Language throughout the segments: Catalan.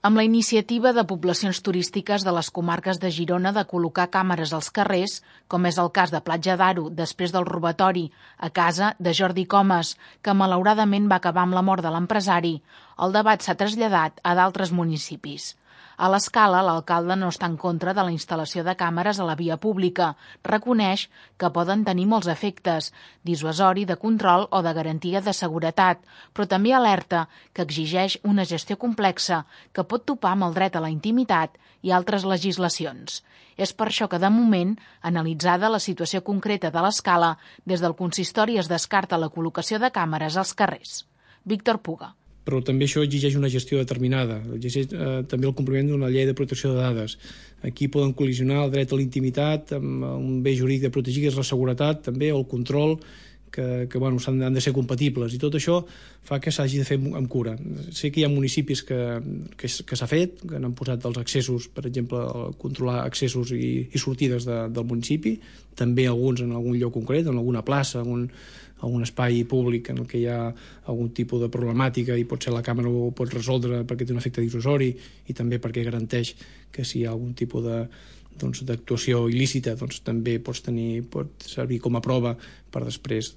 Amb la iniciativa de poblacions turístiques de les comarques de Girona de col·locar càmeres als carrers, com és el cas de Platja d'Aro després del robatori a casa de Jordi Comas, que malauradament va acabar amb la mort de l'empresari, el debat s'ha traslladat a d'altres municipis. A l'Escala, l'alcalde no està en contra de la instal·lació de càmeres a la via pública. Reconeix que poden tenir molts efectes, dissuasori, de control o de garantia de seguretat, però també alerta que exigeix una gestió complexa que pot topar amb el dret a la intimitat i altres legislacions. És per això que, de moment, analitzada la situació concreta de l'Escala, des del consistori es descarta la col·locació de càmeres als carrers. Víctor Puga. Però també això exigeix una gestió determinada, exigeix també el compliment d'una llei de protecció de dades. Aquí poden col·lisionar el dret a la intimitat amb un bé jurídic de protegir, que és la seguretat, també, o el control, que han de ser compatibles, i tot això fa que s'hagi de fer amb cura. Sé que hi ha municipis que s'ha fet, que han posat els accessos, per exemple, controlar accessos i sortides del municipi, també alguns en algun lloc concret, en alguna plaça, algun espai públic en el que hi ha algun tipus de problemàtica i potser la càmera ho pot resoldre perquè té un efecte dissuasori i també perquè garanteix que si hi ha algun tipus d'actuació il·lícita també pot servir com a prova per després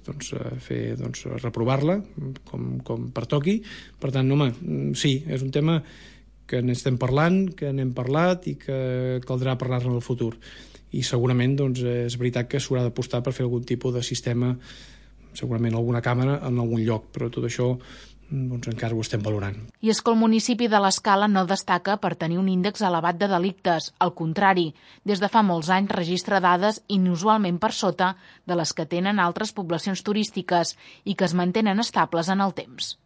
reprovar-la com pertoqui. Per tant, home, sí, és un tema que n'estem parlant, que n'hem parlat i que caldrà parlar-ne en el futur. I segurament és veritat que s'haurà d'apostar per fer algun tipus de sistema, segurament alguna càmera en algun lloc, però tot això encara ho estem valorant. I és que el municipi de l'Escala no destaca per tenir un índex elevat de delictes. Al contrari, des de fa molts anys registra dades inusualment per sota de les que tenen altres poblacions turístiques i que es mantenen estables en el temps.